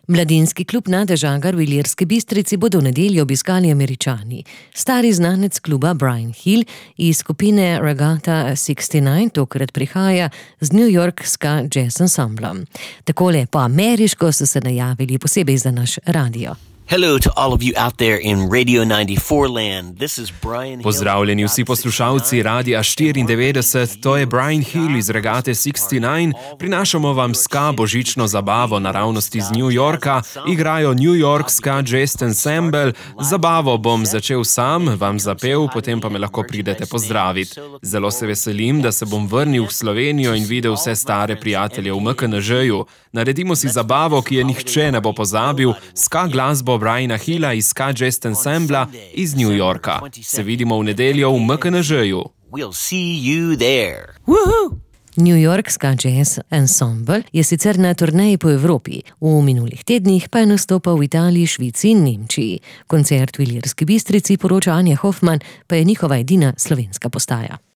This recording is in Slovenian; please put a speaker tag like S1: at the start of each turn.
S1: Mladinski klub Nade Žagar v Ilirski Bistrici bodo v nedeljo obiskali Američani. Stari znanec kluba Brian Hill iz skupine Regatta 69 tokrat prihaja z New York Ska Jazz Ensemblom. Takole po ameriško so se najavili posebej za naš radio.
S2: Hello to all of you out there in Radio 94 land. This is Brian Hill.
S3: Pozdravljeni vsi poslušalci Radia 94, to je Brian Hill iz Regate 69. Prinašamo vam ska božično zabavo naravnost iz New Yorka. Igrajo New York Ska Jazz Ensemble. Zabavo bom začel sam, vam zapel, potem pa me lahko pridete pozdraviti. Zelo se veselim, da se bom vrnil v Slovenijo in videl vse stare prijatelje v MKNŽ-ju. Naredimo si zabavo, ki je nihče ne bo pozabil, ska glasbo Briana Hilla iz Ska Jazz Ensembla iz New Yorka. Se vidimo v nedeljo v MKNŽ-ju.
S2: We'll see you there.
S1: Woohoo! New York Ska Jazz Ensemble je sicer na turneji po Evropi, v minulih tednih pa je nastopal v Italiji, Švici in Nemčiji. Koncert v Ilirski Bistrici, poroča Anja Hoffman, pa je njihova edina slovenska postaja.